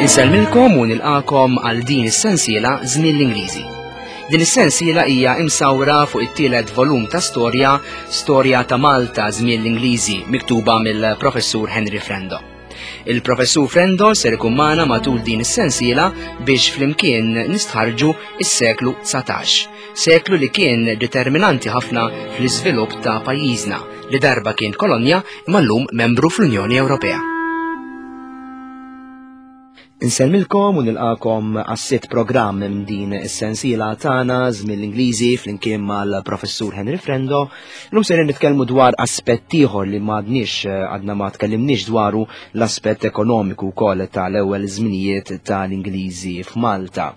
Insellmilkom u nilqakom għal din is-sensiela Żmien l-Ingliżi. Din is-sensiela hija imsawra fuq it-tielet volum ta' storja, Storja ta' Malta Żmien l-Ingliżi, miktuba mill-Professur Henry Frendo. Il-Professur Frendo ser ikun magħna matul din is-sensiela biex flimkien nistħarġu is-seklu 19, seklu li kien determinanti ħafna fl-iżvilupp ta' pajjiżna li darba kien kolonja imma llum membru fl-Unjoni Ewropea. Insellmilkom u nilqakom għas-sitt programm minn din is-sensiela tagħna żmien l-Ingliżi flimkien mal-Professur Henry Frendo. Illum ser nitkellmu dwar aspett ieħor li m'għadniex eh, għadna ma tkellimniex dwaru l-aspett ekonomiku wkoll tal-ewwel żminijiet tal-Ingliżi f'Malta.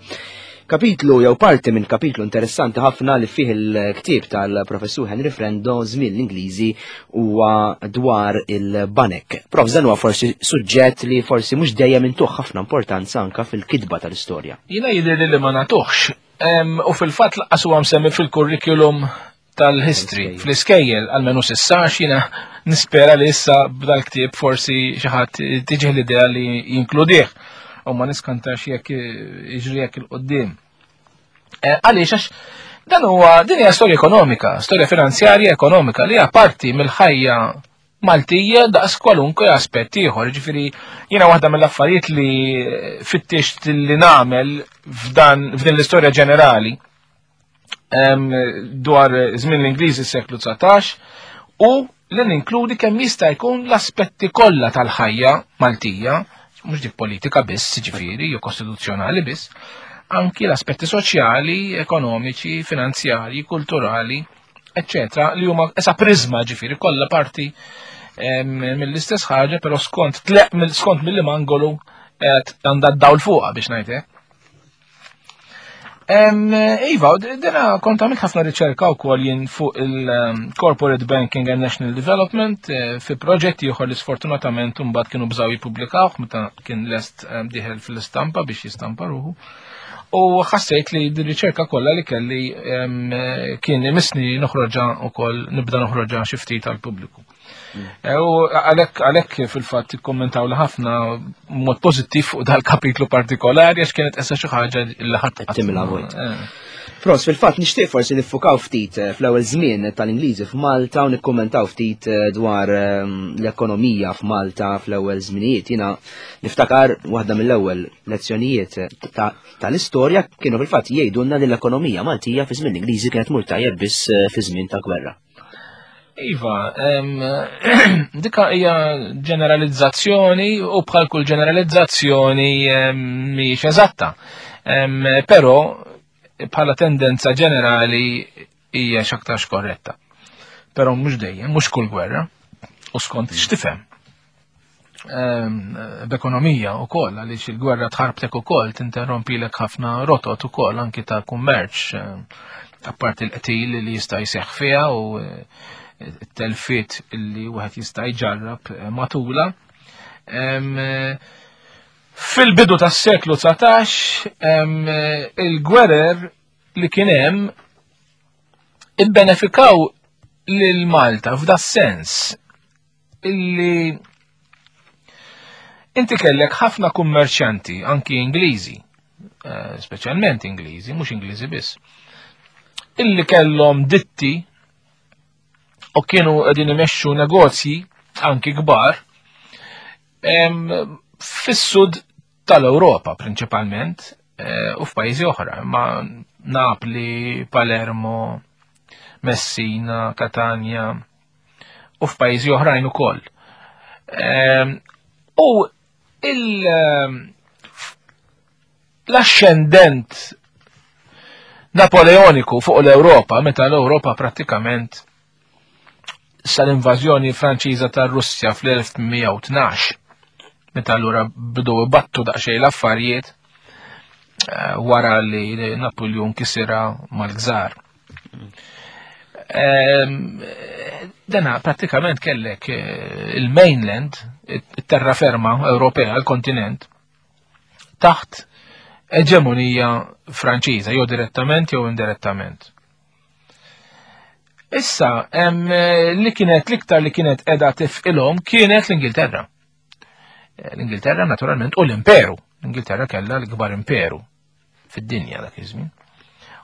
Kapitlu jew parti minn kapitlu interessanti ħafna li fih il-ktieb tal-Professur Henry Frendo żmien l-Ingliżi huwa dwar il-banek. Prof, dan huwa forsi suġġett li forsi mhux dejjem intuh ħafna importanza anka fil-kitba tal-istorja. Jiena jidhirli li ma nagħtuhx. U fil-fatt laqqas huwa msemmi fil-kurrikulum tal-history fl-iskejjel għalmenu sissa għax jiena nispera li issa b'dal-ktieb forsi xi ħadd tiġih l-idea li jinkludih u ma niskantax jekk jiġri jekk il-qoddim. Eh, għaliex għax dan huwa din hija storja ekonomika, storja finanzjarja ekonomika li hija parti mill-ħajja Maltija daqs kwalunkwe aspett ieħor. Ġifieri jiena waħda mill-affarijiet li fittixt li nagħmel f'dan f'din l-istorja ġenerali dwar żmien l-Ingliżi s-seklu 19 u li ninkludi kemm jista' jkun l-aspetti kollha tal-ħajja Maltija, mhux dik politika biss, ġifieri, jew kostituzzjonali biss, anki l-aspetti soċjali, ekonomiċi, finanzjarji, kulturali, eccetera, li huma esa prizma ġifieri kollha parti mill-istess ħaġa, però skont tleq skont mill-angolu qed għandha d-dawl fuqha biex ngħid Iva, dina kont għamilt ħafna riċerka wkoll jien fuq il-Corporate Banking and National Development eh, fi proġetti ieħor li sfortunatament imbagħad kienu bżaw jippubblikawh meta kien lest diħel fil-istampa biex jistampa ruħu. U ħassejt li din riċerka kollha li kelli kien imisni noħroġa wkoll nibda noħroġa xi ftit għall-pubbliku. Eh, u għalhekk għalhekk fil-fatt ikkommentaw li ħafna mod pożittiv fuq dal-kapitlu partikolari għax kienet essa xi ħaġa li ħadd timla vojt. Eh. Pros, fil-fatt nixtieq forsi niffukaw ftit eh, fl-ewwel żmien tal-Ingliżi f'Malta u nikkummentaw ftit dwar ehm, l-ekonomija f'Malta fl-ewwel żminijiet. Jiena niftakar waħda mill-ewwel lezzjonijiet tal-istorja kienu fil-fatt jgħidulna li l-ekonomija Maltija fi żmien l-Ingliżi kienet mur tajjeb biss fi żmien ta' gwerra. Iva, dika hija ġeneralizzazzjoni u bħal kull ġeneralizzazzjoni mhijiex eżatta. Però bħala tendenza ġenerali hija x'aktarx korretta. Però mhux dejjem, mhux kull gwerra, u skont x'tifhem. Ehm, b'ekonomija u koll, għaliex il-gwerra tħarbtek u koll, tinterrompilek ħafna rotot u koll, anki ta' kummerċ, ehm, apparti l-qtil li jista' jseħħ fiha u eh, t-telfiet li wieħed jista' jġarrab eh, matula. Ehm, eh, fil-bidu tas-seklu 19 il-gwerer li kien hemm ibbenefikaw lil Malta f'da sens illi inti kellek ħafna kummerċjanti, anki Ingliżi, eh, speċjalment Ingliżi, mhux Ingliżi biss, illi kellhom ditti u kienu qegħdin imexxu negozji anki kbar fis-sud tal-Ewropa prinċipalment eh, u f'pajjiżi oħra, ma Napli, Palermo, Messina, Catania u f'pajjiżi oħrajn ukoll. Ehm, u il ehm, l-ascendent Napoleoniku fuq l-Ewropa, meta l-Ewropa prattikament sal-invażjoni Franċiża tar-Russja fl-1812, meta allura bidu battu daqsxejn l-affarijiet eh, wara li Napoleon kisira mal-gżar. Ehm, dana prattikament kellek eh, il-mainland, it-terraferma Ewropea, il-kontinent, taħt eġemonija Franċiża, jew direttament jew indirettament. Issa, eh, li kienet l-iktar li kienet edha tifqilhom kienet l-Ingilterra. Eh, L-Ingilterra naturalment u l-Imperu. L-Ingilterra kellha l-ikbar imperu fid-dinja dak iż-żmien.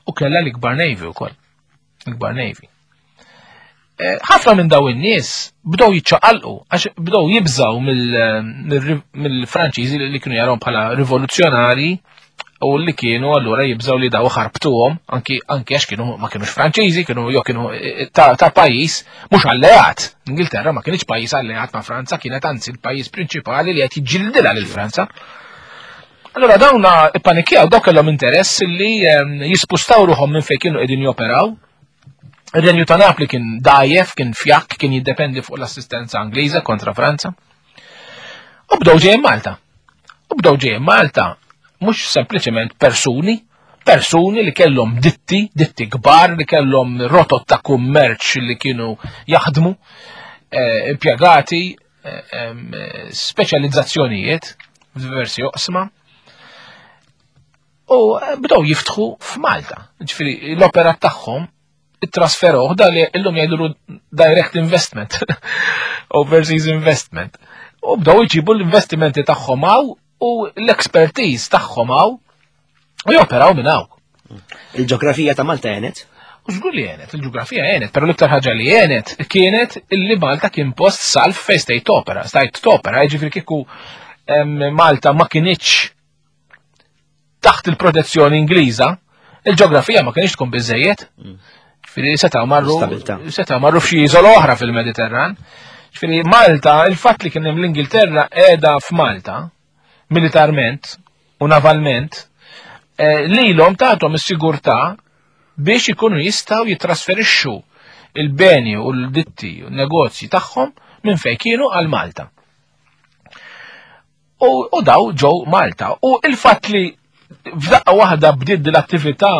U kellha l-ikbar navy wkoll. L-ikbar navy. Eh, ħafna minn daw in-nies bdew jiċċaqalqu għax bdew jibżaw mill-Franċiżi li kienu jarawhom bħala rivoluzzjonari u li kienu allura jibżaw li daw ħarbtuhom anki anki għax kienu ma kienux Franċiżi, kienu jew kienu eh, ta', ta pajjiż mhux alleat. Ingilterra ma kienx pajjiż alleat ma' Franza, kienet anzi l-pajjiż prinċipali li qed jiġġildilha lil Franza. Allura dawna ippanikjaw, daw kellhom interess li ehm, jispustaw ruħhom minn fejn kienu qegħdin joperaw. Ir-Renju ta' Napli kien dajjef, kien fjakk, kien jiddependi fuq l-assistenza Angliża kontra Franza. U bdew ġejjin Malta. U bdew ġejjin Malta mhux sempliċement persuni, persuni li kellhom ditti, ditti kbar, li kellhom rotot ta' kummerċ li kienu jaħdmu, eh, impjegati, eh, eh, speċjalizzazzjonijiet f'diversi oqsma. U bdew jiftħu f'Malta. Ġifieri l-operat tagħhom it-trasferuh da li illum jgħidulu direct investment, overseas investment. U bdew jġibu l-investimenti tagħhom hawn u l-expertise tagħhom hawn u joperaw minn hawn. Il-ġeografija ta' Malta għenet? U żgur li għenet, il-ġeografija għenet, però l-iktar ħaġa li għenet kienet illi Malta kien post salf fejn stajt topera, stajt topera, jiġifieri kieku Malta ma kinitx taħt il-protezzjoni Ingliża, il-ġeografija ma kienx tkun biżejjed. Ġifieri setgħu marru setgħu marru f'xi iżola oħra fil-Mediterran. Ġifieri Malta, il-fatt li kien hemm l-Ingilterra qiegħda f'Malta militarment u navalment, eh, lilhom tagħthom is-sigurtà biex ikunu jistgħu jitrasferixxu il-beni u l-ditti u n-negozji tagħhom minn fejn kienu għal Malta. U daw ġew Malta. U il-fatt li f'daqqa waħda bdiet din l-attività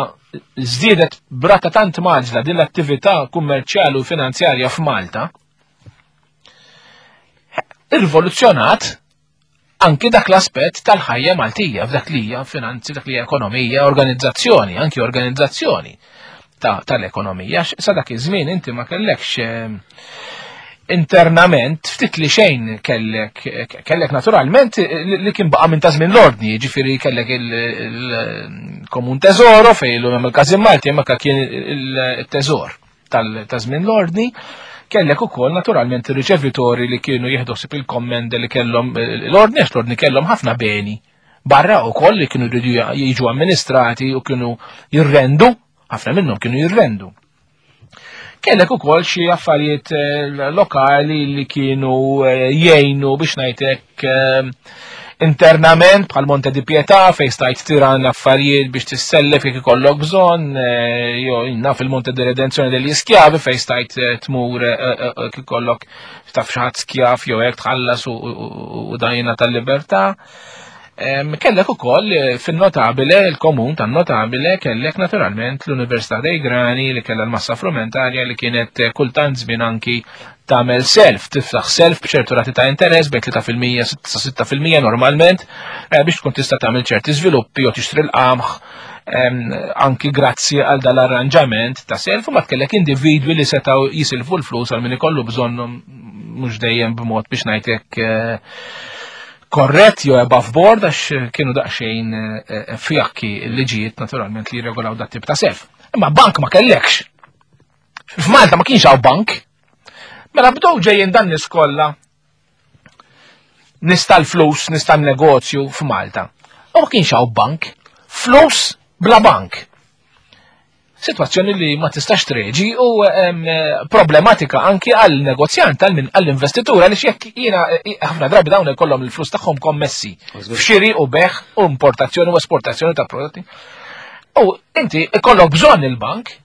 żdiedet brata tant maġla din l-attività kummerċjali u finanzjarja f'Malta, irrivoluzzjonat anki dak l-aspett tal-ħajja Maltija, f'dak li hija finanzi, dak li hija ekonomija, organizzazzjoni, anki organizzazzjoni tal-ekonomija. Sa dak iż-żmien inti ma kellekx eh, internament ftit li xejn kellek kellek naturalment li kien baqa' minn ta' żmien l-ordni, jiġifieri kellek il-komun teżoro fejn illum hemm il-każin Malti hemmhekk kien il-teżor ta' żmien l-ordni, kellek ukoll naturalment ir-riċevitori li kienu jieħdu ħsieb il-kommende li kellhom l-ordni għax l-ordni kellhom ħafna beni barra ukoll li kienu jridu jiġu amministrati u kienu jirrendu, ħafna minnhom kienu jirrendu. Kellek ukoll xi affarijiet eh, lokali li kienu eh, jgħinu biex ngħidlek eh, internament bħal Monte di Pietà fejn stajt tiran affarijiet biex tissellef jekk ikollok bżonn, jew naf il-Monte di Redenzjoni degli Skjavi fejn stajt tmur ikollok taf xi ħadd skjav jew hekk tħallas u dajna tal-libertà. Kellek ukoll eh, fin-notabile, il-komun tan-notabile, kellek naturalment l-Università dei Grani li kellha l-massa frumentarja li kienet eh, kultant żmien anki tagħmel self, tiftaħ self b'ċertu rati ta' interess bejn 3% sa 6% normalment eh, biex tkun tista' tagħmel ċerti żviluppi jew tixtri l-qamħ anki grazzi għal dal-arranġament ta' self u ma tkellek individwi li setgħu jisilfu l-flus għal min ikollu bżonnhom mhux dejjem b'mod biex ngħidlek korrett jew above board għax kienu daqsxejn eh, eh, fjakki l-liġijiet naturalment li jirregolaw dat tip ta' self. Imma bank ma kellekx. F'Malta ma kienx hawn bank. Mela bdew ġejjin dan nies kollha nista' l-flus, nista' negozju f'Malta. U ma kienx hawn bank. Flus bla bank. Situazzjoni li ma tistax treġi u problematika anki għal negozjant għal min għall-investitur għaliex jekk jiena eh, ħafna drabi dawn ikollhom il-flus tagħhom kommessi f'xiri u beħ u importazzjoni u esportazzjoni ta' prodotti. U inti ikollok bżonn il-bank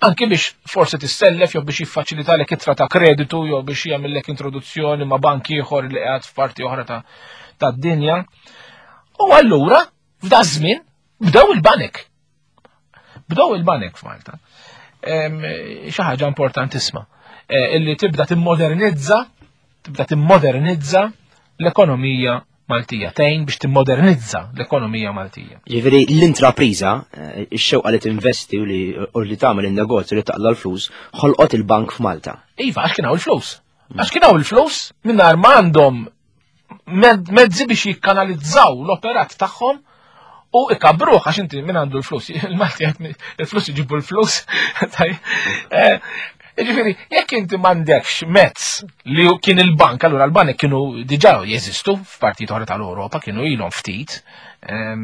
anki biex forsi tissellef jew biex jiffaċilitalek ittra ta' kreditu jew biex jagħmellek introduzzjoni ma' bank ieħor li qiegħed f'parti oħra tad-dinja. U allura f'da żmien bdew il-banek. Bdew il-banek f'Malta. Xi ħaġa importantissima eh, illi tibda timmodernizza tibda timmodernizza l-ekonomija Maltija, tgħin biex timmodernizza l-ekonomija Maltija. Ġifieri l-intrapriża, eh, ix-xewqa li tinvesti u li u li tagħmel in-negozju li taqla l-flus, ħolqot il-bank f'Malta. Iva, għax kien hawn il-flus. Għax kien hawn il-flus mingħajr ma għandhom mezzi biex jikkanalizzaw l-operat tagħhom u ikabruh għax inti min għandu l-flus, il-Malti il-flus iġibu l-flus. Eh, ġifieri, jekk inti m'għandekx mezz li kien il-bank, allura l-banek kienu diġà jeżistu f'partijiet oħra tal-Ewropa, kienu ilhom ftit. Eh,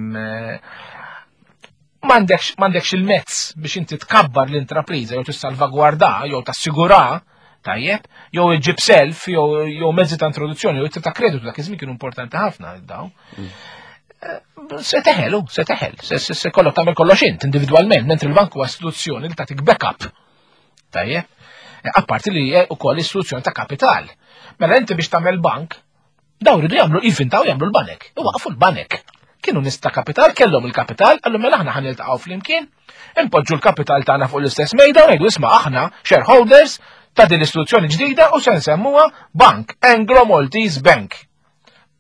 m'għandekx il-mezz biex inti tkabbar l-intrapriża jew tissalvagwarda jew tassigura tajjeb, jew iġib self, jew mezzi ta' introduzzjoni, jew ta' kreditu dak iż-żmien kienu importanti ħafna daw. Eh, se teħel, se teħel, se kollok tagħmel kollox int individwalment, mentri l-bank huwa istituzzjoni li tagħtik backup. Tajjeb? Eh, apparti li ukoll istituzzjoni ta' kapital. Mela inti biex tagħmel bank, daw ridu jagħmlu jivvintaw jagħmlu l-banek. Iwaqfu l-banek. Kienu nies ta' kapital, kellhom il-kapital, qallu mela aħna ħa niltaqgħu flimkien, impoġġu l-kapital tagħna fuq l-istess mejda u ngħidu isma' aħna shareholders ta' din l-istituzzjoni ġdida u se nsemmuha Bank Anglo Maltese Bank.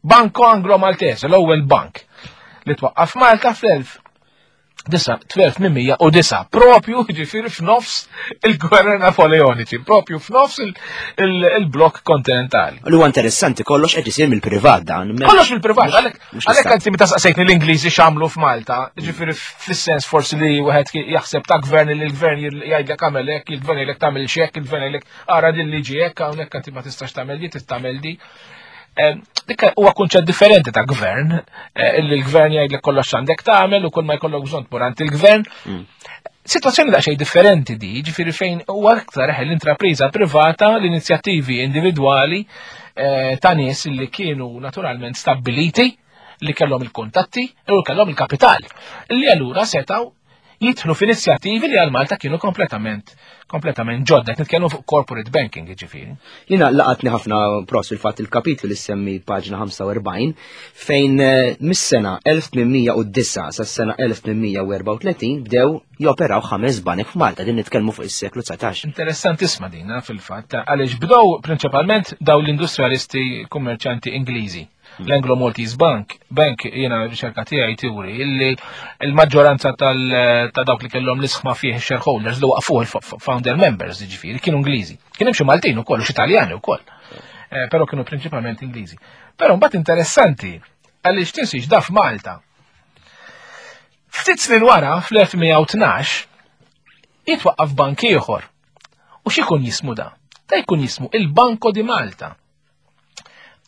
Banco Anglo Maltese, l-ewwel bank li twaqqaf Malta fl-1809, propju ġifieri f'nofs il-gwerra Napoleoniċi, propju f'nofs il-blok kontinentali. Li huwa interessanti kollox qed isir mill-privat dan. Kollox mill-privat, għalhekk inti meta saqsejtni l-Ingliżi x'għamlu f'Malta, ġifieri fis-sens forsi li wieħed jaħseb ta' gvern li l-gvern jgħidlek għamel hekk, il-gvern jgħidlek tagħmel x'hekk, il-gvern jgħidlek ara din liġi hekk hawnhekk inti ma tistax tagħmel di, tagħmel di. Dik huwa kunċett differenti ta' gvern, eh, illi l-gvern jgħidlek kollox għandek tagħmel u kull ma jkollok bżonn tmur għand il-gvern. Situazzjoni daqsxejn differenti di, ġifieri fejn huwa aktar eħe l-intrapriża privata, l-inizjattivi individwali eh, ta' nies li kienu naturalment stabbiliti li kellhom il-kuntatti u kellhom il-kapital, li allura setgħu jidħlu f'inizjattivi li għal Malta kienu kompletament kompletament ġodda, qed nitkellmu fuq corporate banking ġifieri. Jiena laqatni ħafna pros fil-fatt il-kapitlu li semmi paġna 45 fejn eh, mis-sena 1809 sas-sena 1834 bdew joperaw ħames banek f'Malta, din nitkellmu fuq is-seklu 19. Interessantissima dina fil-fatt, għaliex bdew prinċipalment daw l-industrialisti kummerċanti Ingliżi. L-Anglo Maltese Bank, bank jiena riċerka tiegħi turi illi l-maġġoranza ta' dawk li kellhom l-isħma fih shareholders li waqfuh il-founder members ġifieri kienu Ingliżi. Kien hemm xi Maltin ukoll u xi Taljani ukoll. Eh, però kienu prinċipalment Ingliżi. Però mbagħad interessanti għaliex tinsiex da f'Malta. Ftit snin wara fl-1912 jitwaqqaf bank ieħor. U x'ikun jismu da? Ta' jkun jismu il-Banco di Malta.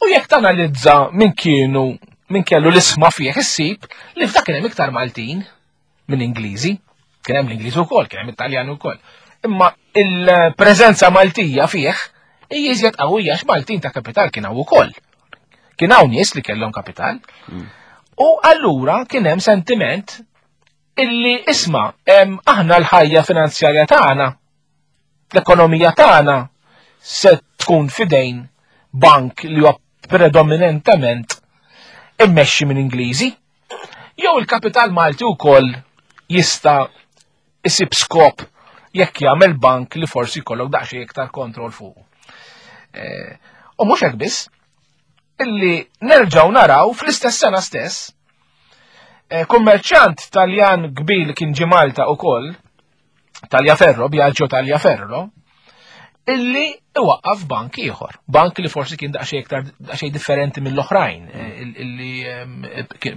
U jekk tanalizza min kienu min kellu l-isma fih issib li f'dak kien hemm iktar Maltin minn Ingliżi, kien hemm l-Ingliżi wkoll, kien hemm it-Taljan ukoll. Imma il-preżenza Maltija fih hija iżjed qawwija għax Maltin ta' kapital kien hawn ukoll. Kien hawn nies li kellhom kapital. U allura kien hemm sentiment illi isma' aħna l-ħajja finanzjarja tagħna l-ekonomija tagħna se tkun fidejn bank li huwa predominentement immexxi minn Ingliżi, jew il-kapital Malti wkoll jista' isib skop jekk jagħmel bank li forsi jkollok daqsxejn iktar kontroll fuq. Eh, u mhux hekk biss, illi nerġgħu naraw fl-istess sena stess eh, kummerċjant Taljan kbir li kien ġie Malta ukoll Tagliaferro, Biagio Tagliaferro, illi iwaqqaf bank ieħor, bank li forsi kien daqsxejn iktar daqsxejn differenti mill-oħrajn, eh, illi ehm,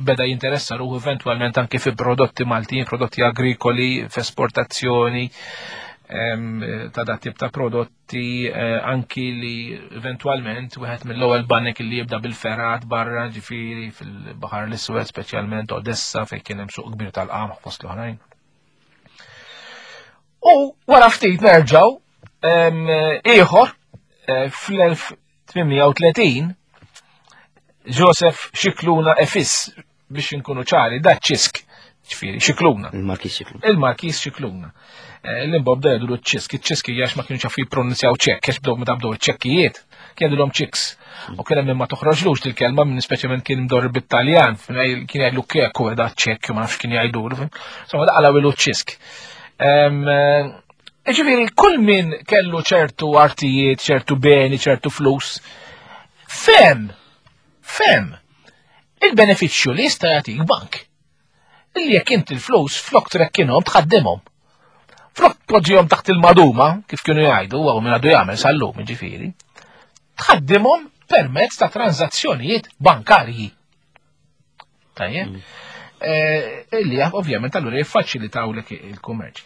beda jinteressa ruħu eventwalment anke fi prodotti Maltin, prodotti agrikoli, f'esportazzjoni ehm, ta' dat tip ta' prodotti, eh, anki li eventwalment wieħed mill-ewwel banek li jibda bil-ferat barra ġifieri fil-Baħar l-Iswed, speċjalment Odessa fejn kien hemm suq kbir tal-qamħ fost l-oħrajn. U wara ftit nerġaw ieħor eh, fl-1830 Joseph Xikluna Efis biex inkunu ċari, da ċisk, ġifieri Xikluna. Il-Markis Xikluna. Il-Markis Xikluna. Eh, L-imbob da jgħidu ċisk, iċ-ċisk hija ma kienu ċafu jippronunzjaw ċekk, għax bdew meta bdew iċ-ċekkijiet, kien jgħidulhom ċiks. U kien hemm ma toħroġlux dil-kelma minn speċjalment kien mdorri bit-Taljan, kien jgħidlu kek u da ċekk, ma nafx kien jgħidu. Insomma, da qalaw ilu ċisk. Eh, ġifieri, kull min kellu ċertu artijiet, ċertu beni, ċertu flus, fem, fem, il-benefiċċju li jista' jagħtik bank. Illi jekk inti l-flus flok trekkinhom tħaddimhom. Flok tpoġġihom taħt il-maduma, kif kienu jgħidu, u minn għadu jagħmel sal-lum, ġifieri. Tħaddimhom Permezz ta' tranzazzjonijiet bankarji. Tajjeb? Eh, illi ovvjament allura jiffaċilitawlek il-kummerċ.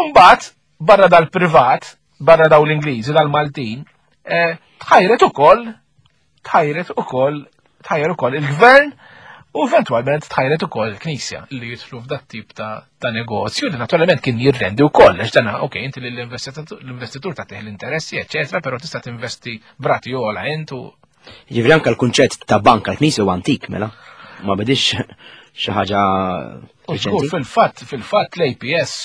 Umbagħad barra dal-privat, barra daw l-Ingliżi, dal-Maltin, eh, tħajret ukoll, tħajret ukoll, tħajjer ukoll il-gvern u eventwalment tħajret ukoll il-Knisja li jidħlu f'dat tip ta', ta negozju li naturalment kien jirrendi wkoll għax dan ok inti l-investitur tagħtih l-interessi, eċetera, però tista' tinvesti brati ogħla int u Ġifieri anke l-kunċett ta' bank għall-Knisja huwa antik mela. Ma bidix xi ħaġa reċenti. Fil-fatt, fil-fatt l-APS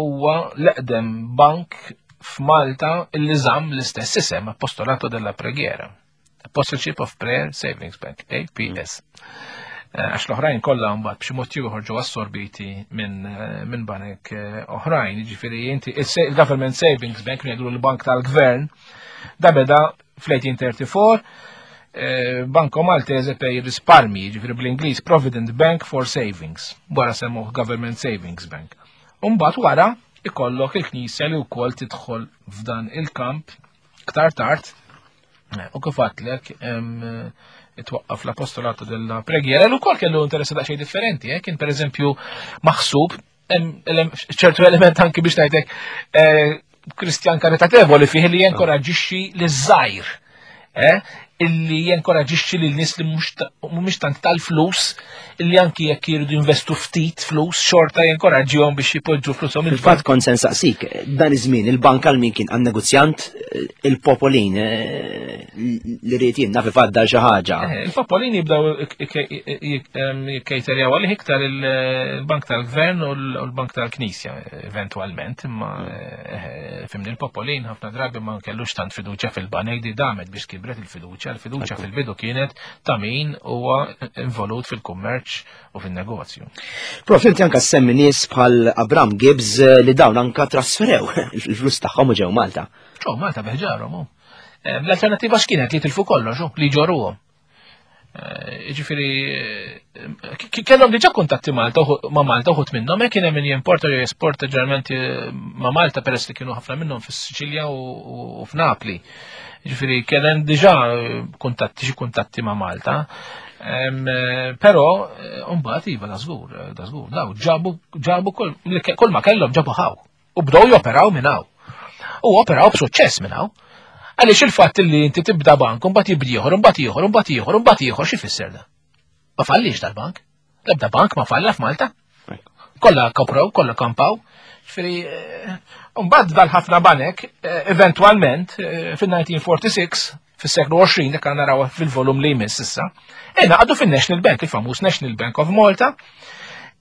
huwa l-eqdem bank f'Malta illi żamm l-istess isem Apostolato della Preghiera. Apostleship of Prayer Savings Bank, APS. Eh, għax l-oħrajn kollha mbagħad b'xi mod ieħor ġew assorbiti minn eh, min banek eh, oħrajn, jiġifieri inti il-Government Savings Bank ngħidu l-bank tal-gvern, da beda fl-1834 Banco Maltese per risparmi, jiġifieri bl-Ingliż Provident Bank for Savings, wara semmuh Government Savings Bank. Umbagħad wara ikollok il-Knisja li wkoll tidħol f'dan il-kamp ktar tard u kif għadtlek itwaqqaf l-apostolato della preghiera l ukoll kellu interessi daqsxejn differenti, eh? kien pereżempju maħsub ċertu element anki biex ngħidlek eh, Kristjan karitatevoli fih li jenkoraġixxi liż-żgħir. Eh, illi jenkoraġixxi lil nies li mhumiex tant tal-flus illi anki jekk jiridu jinvestu ftit flus xorta jenkoraġġihom biex jipoġġu flushom. Fil-fatt kont se nsaqsik, dan iż-żmien il-bank għal min kien għan-negozjant il-popolin eh, li rrid jien naf ifaddal xi ħaġa. Eh, il-popolin jibdew jikkejterjaw għalih iktar il-bank tal-gvern u l-bank tal-knisja eventwalment, imma eh, fimni il-popolin ħafna drabi ma kellux tant fiduċja fil-banek di damet biex kibret il-fiduċja, il-fiduċja fil-bidu kienet ta' min huwa involut fil-kummerċ u fin-negozju. Prof, inti anka semmi nies bħal Abram Gibbs li dawn anka trasferew il-flus tagħhom u ġew Malta. Ġew Malta biħġarhom. Eh, l-alternativa x'kienet li tilfu kollox, li ġoruhom. Eh, ġifieri eh, kellhom diġà kuntatti Malta ma' Malta uħut minnhom, hekk kien hemm min jimporta jew jesporta ġeneralment ma' Malta peress li kienu ħafna minnhom fis-Siċilja u f'Napli. Ġifieri kien hemm diġà kuntatti xi kuntatti ma' Malta. Però mbagħad iva da żgur, da żgur, daw ġabu ġabu kull ma kellhom ġabu ħaw. U bdew joperaw minn hawn. U operaw b'suċċess minn hawn. Għaliex il-fatt li inti tibda bank, mbagħad jibdi ieħor, mbagħad ieħor, mbagħad ieħor, mbagħad ieħor, xi fisser da? Ma fallix dal-bank. L-ebda bank ma falla f'Malta. Kollha koprow, kollha kampaw. Ġifieri, eh, mbagħad dal-ħafna banek, eh, eventwalment, eh, fin-1946, fis-seklu 20 dak naraw fil-volum li jmiss issa, ingħaqdu fin-National Bank, il-famuż National Bank of Malta,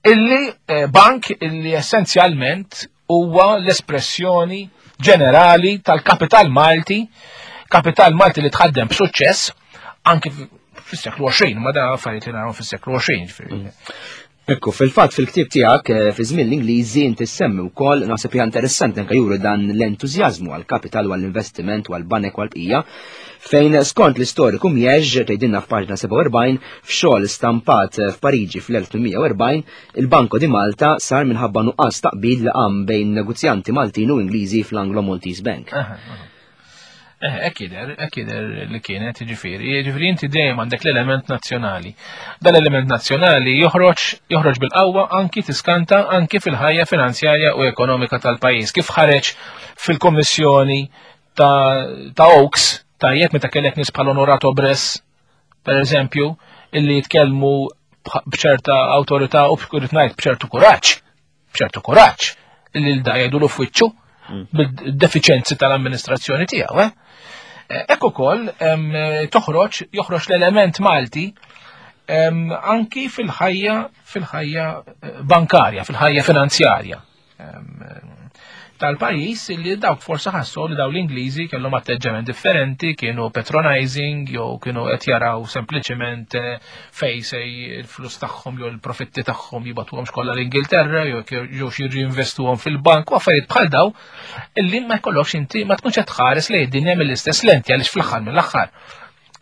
illi eh, bank illi essenzjalment huwa l-espressjoni ġenerali tal-kapital Malti, kapital Malti li tħaddem b'suċċess anki fis-seklu 20, ma da affarijiet li naraw fis-seklu 20. Ekku, fil-fatt fil-ktieb tiegħek eh, fi żmien l-Ingliżi inti semmi wkoll naħseb hija interessanti anke juru dan l-entużjażmu għall-kapital u għall-investiment u għall-banek u għall-bqija fejn skont l-istoriku Mjeġ tgħidilna f'paġna 47 f'xogħol stampat f'Pariġi fl-1840 il-Banco di Malta sar minħabba nuqqas taqbil li qam bejn negozjanti Maltin u Ingliżi fl-Anglo Maltese Bank. Eh, hekk jidher, hekk jidher li kienet, jiġifieri, jiġifieri inti dejjem għandek l-element nazzjonali. Dan l-element nazzjonali joħroġ joħroġ bil-qawwa anki tiskanta anki fil-ħajja finanzjarja u ekonomika tal-pajjiż. Kif ħareġ fil-Kommissjoni ta', ta Oaks, tajjeb meta kellek nies bħal Onorato Bress, per eżempju, illi jitkellmu b'ċerta awtorità u b'ċertu b'ċertu kuraġġ b'ċertu kuraġġ li l-da jgħidulu f'wiċċu mm. bil-defiċenzi tal-amministrazzjoni tiegħu. Eh? eh hekk ukoll toħroġ joħroġ l-element Malti anki fil-ħajja fil-ħajja eh, bankarja, fil-ħajja finanzjarja tal-pajjiż li dawk forsi ħassu li daw l-Ingliżi kellhom atteġġament differenti, kienu patronizing jew kienu qed jaraw sempliċement eh, fej se il-flus tagħhom jew il-profitti tagħhom jibatuhomx kollha l-Ingilterra jew jew xi jinvestuhom fil-bank u affarijiet bħal daw illi ma jkollokx inti ma tkunx qed tħares lejn id-dinja mill-istess lenti għaliex fl-aħħar mill-aħħar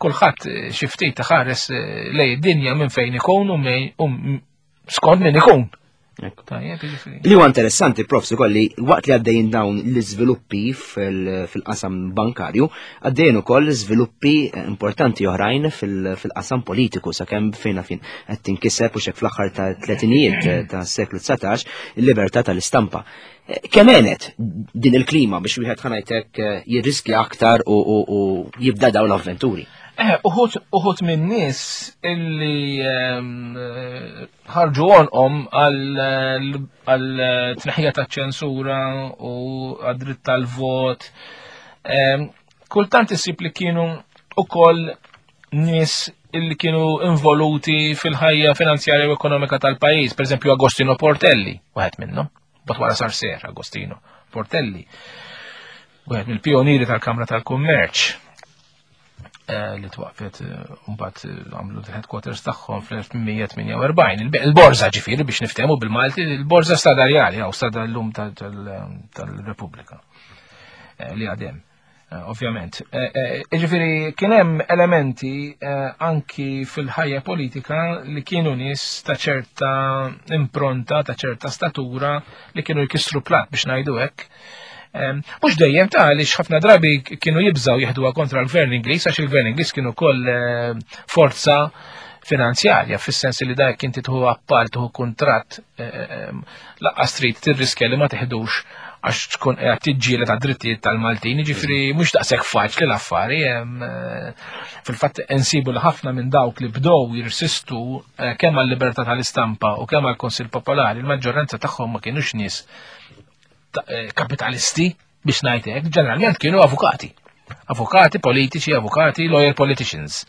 kulħadd eh, xi ftit ħares eh, lejn id-dinja minn fejn ikun u skont min ikun. Tajjeb, jiġifieri. Li huwa interessanti, prof, ukoll li waqt li għaddejjin dawn l-iżviluppi fil-qasam bankarju, għaddejjin ukoll żviluppi importanti oħrajn fil-qasam politiku sakemm fejna fin qed tinkiseb u xek fl-aħħar ta' tletinijiet ta' seklu 19 il-libertà tal-istampa. Kemm għenet din il-klima biex wieħed ħanajtek jirriskja aktar u jibda dawn l-avventuri? Uħut minn nies illi ħarġu għonqhom għal tneħħija ta' ċensura u għad-dritt tal-vot. Kultant isib li kienu ukoll nies illi kienu involuti fil-ħajja finanzjarja u ekonomika tal-pajjiż, per eżempju Agostino Portelli, wieħed minnhom, bat wara sar ser Agostino Portelli, wieħed mill-pionieri tal-Kamra tal-Kummerċ. Eh, li twaqfet eh, mbagħad eh, għamlu l-headquarters tagħhom fl-1848. Il-borża ġifieri biex niftehmu bil-Malti, il-borża stadarjali jew stada llum tal-Repubblika li għadem. Ovvjament. Ġifieri kien hemm elementi anki fil-ħajja politika li kienu nies ta' ċerta impronta, ta' ċerta statura li kienu jkissru plat biex ngħidu hekk. Mhux dejjem ta' għaliex ħafna drabi kienu jibżaw jeħduha kontra l-gvern Ingliż għax il-gvern Ingliż kienu koll forza finanzjarja fis-sens li dak inti tieħu appalt tieħu kuntratt laqqas trid tirriskja li ma teħdux għax tkun qiegħed tiġġieled għad-drittijiet tal-Maltin, jiġifieri mhux daqshekk faċli l-affari, fil-fatt insibu li ħafna minn dawk li bdew jirsistu kemm għal-libertà tal-istampa u kemm għall-Kunsill Popolari, il-maġġoranza tagħhom ma kienux nies kapitalisti biex ngħid hekk, ġeneralment kienu avukati. Avukati politiċi, avukati, lawyer politicians.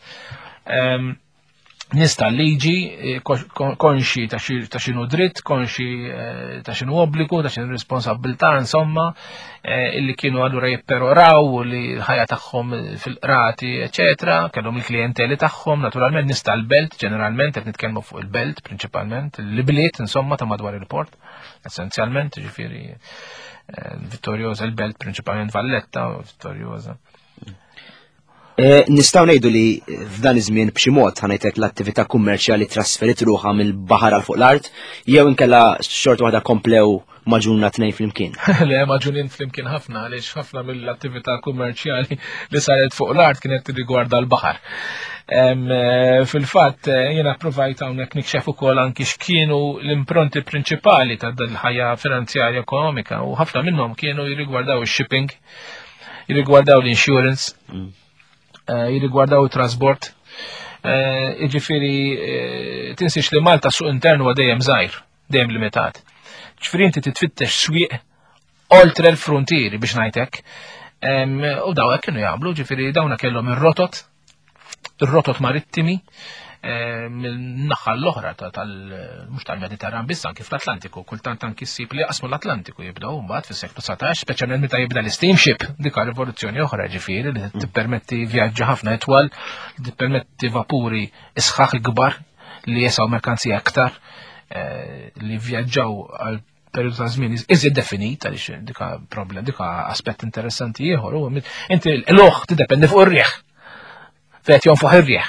Nies tal-liġi, konxi ta' xinu dritt, konxi ta' xinu obbligu, ta' xinu responsabilità, insomma, illi kienu allura jipperoraw u li l-ħajja tagħhom fil-qrati, eċetera, kellhom il-klijenteli tagħhom, naturalment nies tal-belt, ġeneralment qed nitkellmu fuq il-belt prinċipalment, l-bliet insomma ta' madwar il-port, essenzjalment, ġifieri Vittoriosa, il-belt prinċipalment Valletta, Vittoriosa. Nistgħu ngħidu li f'dan iż-żmien b'xi mod ħanajtek l-attività kummerċjali trasferit ruħha mill-baħar għal fuq l-art jew inkella xorta waħda komplew maġunna tnejn flimkien. Le, maġunin flimkien ħafna għaliex ħafna mill-attività kummerċjali li saret fuq l-art kienet tirrigwarda l-baħar. Fil-fatt jiena provajt hawnhekk nikxef ukoll anki x'kienu l-impronti prinċipali ta' dal-ħajja finanzjarja ekonomika u ħafna minnhom kienu jirrigwardaw ix-shipping, jirrigwardaw l-insurance, jirrigwardaw it-trasport. Jiġifieri tinsiex li Malta suq intern huwa dejjem żgħir, dejjem limitat. Ġifieri inti titfittex swieq oltre l-frontieri biex ngħidlek. U daw hekk kienu jagħmlu, ġifieri dawna kellhom ir-rotot, ir-rotot marittimi, mill-naħa l-oħra tal mhux tal-Mediterran biss anki fl-Atlantiku, kultant anki ssib li jaqsmu l-Atlantiku jibdew mbagħad fis-seklu 19, speċjalment meta jibda l-steamship, dik rivoluzzjoni oħra ġifieri li tippermetti vjaġġi ħafna itwal, li tippermetti vapuri isħaħ il-kbar li jesaw merkanzija aktar, li vjaġġaw għal periodu ta' żmien iżjed definit għaliex dika problem, dika aspett interessanti ieħor, huwa inti l-oħ tiddependi fuq ir-riħ. Fejn jonfoħ ir-riħ.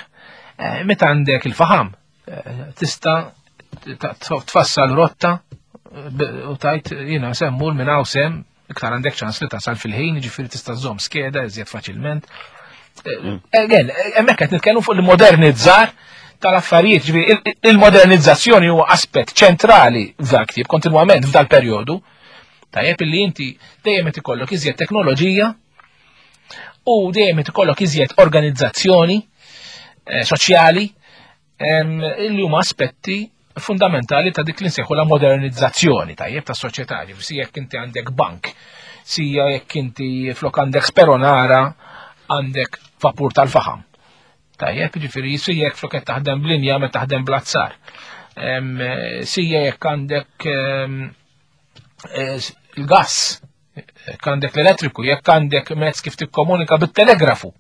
Meta għandek il-faħam, tista' tfassal rotta u tajt jiena semmur minn hawn sem, iktar għandek ċans li tasal fil-ħin, ġifieri tista' żżomm skeda iżjed faċilment. Again, hemmhekk qed nitkellmu fuq il-modernizzar tal-affarijiet, ġifieri il-modernizzazzjoni huwa aspett ċentrali f'dal ktieb kontinwament f'dal perjodu. Tajjeb illi inti dejjem qed ikollok iżjed teknoloġija u dejjem qed ikollok iżjed organizzazzjoni soċjali illi huma aspetti fundamentali ta' dik li nsejħu la modernizzazzjoni tajjeb ta' soċjetà, ġifieri si jekk inti għandek bank, sija jekk inti flok għandek speronara għandek vapur tal-faħam. Tajjeb, ġifieri si jekk flok qed taħdem b'linja meta taħdem bl-azzar. Sija jekk għandek il-gas, jekk għandek l-elettriku, jekk għandek mezz kif tikkomunika bit-telegrafu.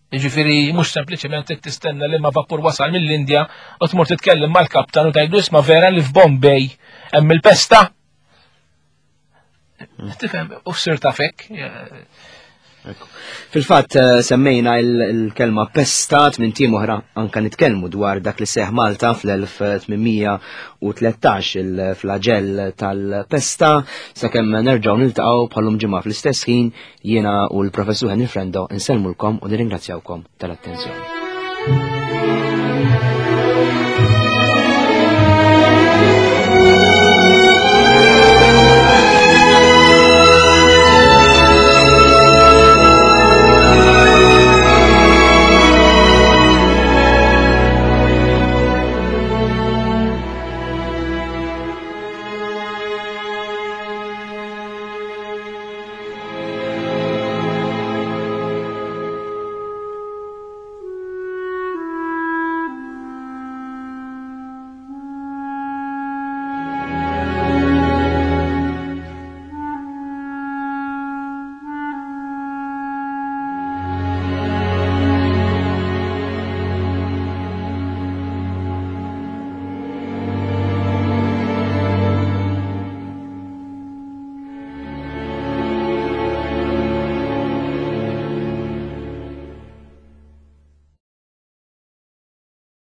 Jiġifieri mhux sempliċement trid tistenna li ma vapur wasal mill-Indja u tmur titkellem mal-kaptan u tgħidlu isma' vera li f'Bombay hemm il-pesta. Tifhem, u f'sir tafek. Fil-fatt eh, semmejna il-kelma pestat minn tim oħra anka nitkellmu dwar dak li seħ Malta fl-1813 il-flagell tal-pesta sakemm nerġgħu niltaqgħu bħalum ġimgħa fl-istess ħin jiena u l-professur Henry Frendo insellmulkom u nirringrazzjawkom tal-attenzjoni.